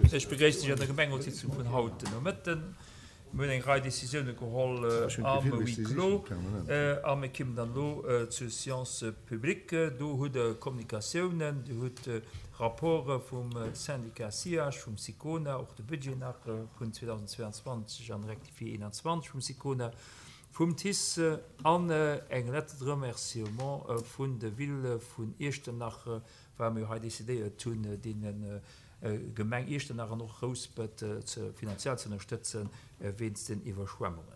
Ech begréissen Iech an der Gemengerotssitzung vun haut den Nomëtten. Mir hunn eng Rei Décisioune geholl am Huis clos a mir kimmen dann elo zur Séance publique. Do hutt Der Kommunikatiounen, Dir hutt Rapporte vum Syndicat SIAG, vum SICONA, och de Budget nach vun 2022 an rectifié 21 vum SICONA, vum TICE an eng Lettre de remerciement vun der Ville vun Iechternach, well mir jo hei decidéiert hunn, deene Gemeng Iechternach an och Rouspert finanziell ze ënnerstëtzen wéinst den Iwwerschwemmungen.